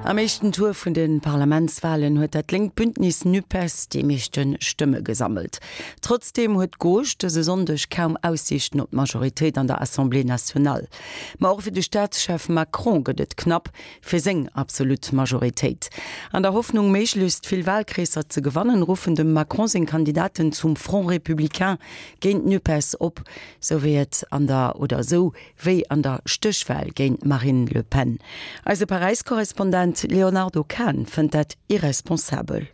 Am éischten Tour vun de Parlamentswalen huet dat lénkt Bündnis Nupes déi meeschte Stëmme gesammelt. Trotzdeem huet d'Gauche dëse Sonndeg kaum Aussiichten op d'Majoritéit an der Assemblée nationale. Ma och fir de Staatschef Macron gëtt et knapp fir seng absolut Majoritéit. An der Hoffnung méiglechst vill Walkreesser ze gewannen, ruffen dem Macron seng Kandidaten zum Front républicain géint d'Nupes op, sou wéi et an der oder sou wéi an der Stéchwal géint d'Marine Le Pen. Eise Paräis-Korrespondent Léonardo Kahn fënnt dat irresponsabel.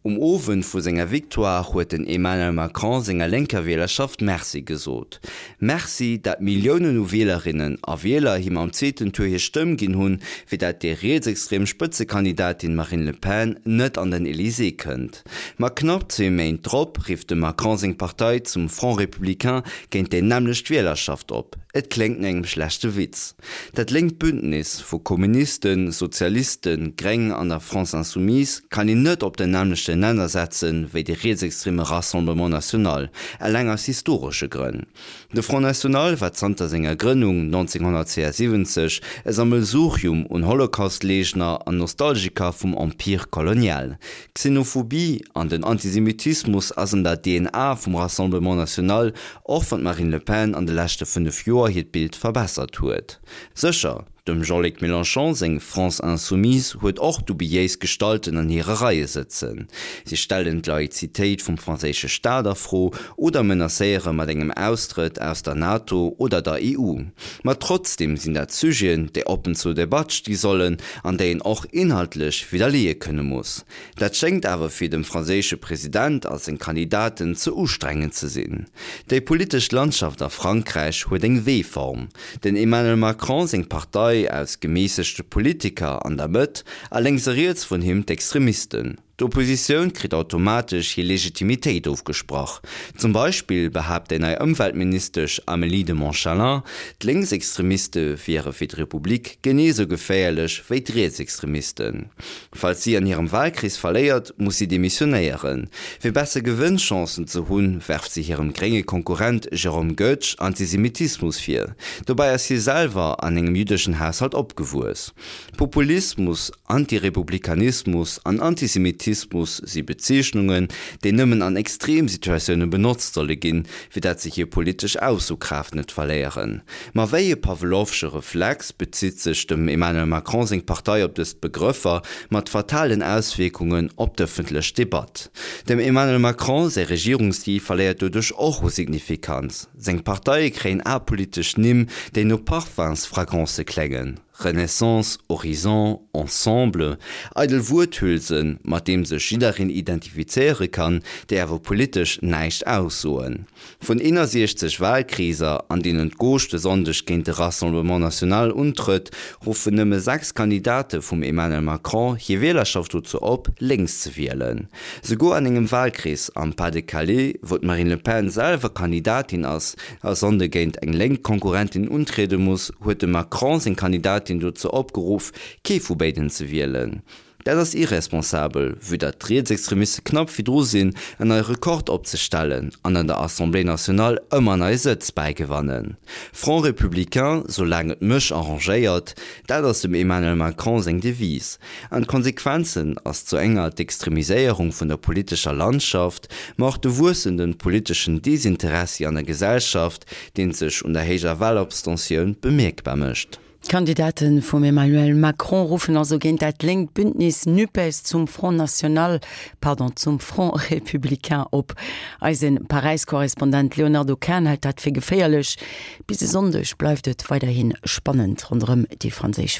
Um Owend vu senger Victoire huet den Emmanuel Macron senger lénker Wielerschaft Merci gesot. Merci, dat Milliounen u Wielerinnen a Wieler him am zweeten Tour hir Stëmm ginn hunn, fir dat déi rietsextrem Spëtzekandidatin Marine Le Pen net an den Elysée kënnt. Ma knapp zwee Méint drop rifft dem Macron seng Partei zum Front Républicain géint déi nämmlecht Wielerschaft op. Et kléngt no engem schlechte Witz. Dat lénkt Bündnis vu Kommunisten, Sozialisten, Gréng an der France Insoumise kann een net op den nämmlechten Nenner setzen, wéi de rietsextreme Rassemblement National, eleng aus historesche Grënn. De Front National war zanter senger Grënnung 1972 e Sammelsurium un Holocaust-Leegner an Nostalgiker vum Empire colonial. D'Xenophobie an den Antisemitismus ass an der DNA vum Rassemblement National, och wann d'Marine Le Pen an de leschte 5 Joer hiert Bild verbessert huet. Sécher, dem Jean-Luc Mélenchon seng France Insoumise huet och dubiéis Gestalten an hire Reie sëtzen. Si stellen d'Laïzitéit vum franséische Staat a Fro oder menacéiere mat engem Austrëtt aus der NATO oder der EU. Ma trotzdeem sinn dat Sujeten, déi oppen zur Debatt sti sollen an déi een och inhaltlech widderleeë kënne muss. Dat schéngt awer fir dem franséische President a seng Kandidaten ze ustrengend ze sinn. Déi politesch Landschaft a Frankräich huet eng W-Form. Den Emmanuel Macron seng Partei aus gemässegte Politiker an der Mëtt a lénks a riets vun him d'Extremisten. D'Oppositioun kritt automatesch hir Legitimitéit ofgesprach. Zum Beispill behaapt déi nei Ëmweltministesch Amélie de Montchalin, d'Lénksextremiste wiere fir d'Republik genee sou geféierlech wéi d'Rietsextremisten. Falls si an hirem Wahlkrees verléiert, muss si demissionéieren. Fir besser Gewënnchancen ze hunn, werft si hirem grénge Konkurrent Jérôme Goetsch Antisemitismus vir. Dobäi ass hie selwer an engem jüddeschen Haushalt opgewuess. Populismus, Antirepublikanismus an Antisemitismus si Bezeechnungen, déi nëmmen an Extremsituatioune benotzt solle ginn, fir dat se hir politesch Aussokraaft net verléieren. Ma wéi e pawlowsche Reflex bezitt sech dem Emmanuel Macron seng Partei op dës Begrëffer, mat fatalen Auswierkungen op d'ëffentlech Debatt. Dem Emmanuel Macron säi Regierungsstil verléiert doduerch och u Signifikanz. Seng Parteie kréien apolitesch Nimm, déi no Parfumsfragrancë kléngen, Renaissance, Horizon, Ensemble, eidel Wuerthülsen, mat deem sech jiddereen identifizéiere kann, déi awer politesch näischt aussoen. Vun 61 Wahlkreeser, an deenen d'Gauche de Sonndeg géint de Rassemblement National untrëtt, ruffen nëmme 6 Kandidate vum Emmanuel Macron hir Wielerschaft dozou op, lénks ze wielen. Souguer an engem Wahlkrees am Pas-de-Calais, wou d'Marine Le Pen selwer Kandidatin ass a Sonnde géint eng lénk Konkurrentin untriede muss, huet de Macron seng Kandidatin dozou opgeruff, kee vu béiden ze wielen. Dat ass irresponsabel, vue datt d'Rietsextremiste knapp virdru sinn, en neie Rekord opzestellen an an der Assemblée nationale ëmmer nei Sëtz bäigewannen. Front républicain, soulaang et mech arrangéiert, dat ass dem Emmanuel Macron seng Devise. An d'Konsequenzen ass zu enger d'Extremiséierung vun der politescher Landschaft, ma och de wuessenden politeschen Desinteressi an der Gesellschaft, deen sech un der héijer Wahlabstentioun bemierkbar mécht. D'Kandidate vum Emmanuel Macron ruffen also géint dat lénkt Bündnis Nupes zum Front National, pardon, zum Front Républicain op. Eise Paräis-Korrespondent Léonardo Kahn hält dat fir geféierlech. Bis e Sonndeg bleift et weiderhi spannend ronderëm déi franséisch Walen.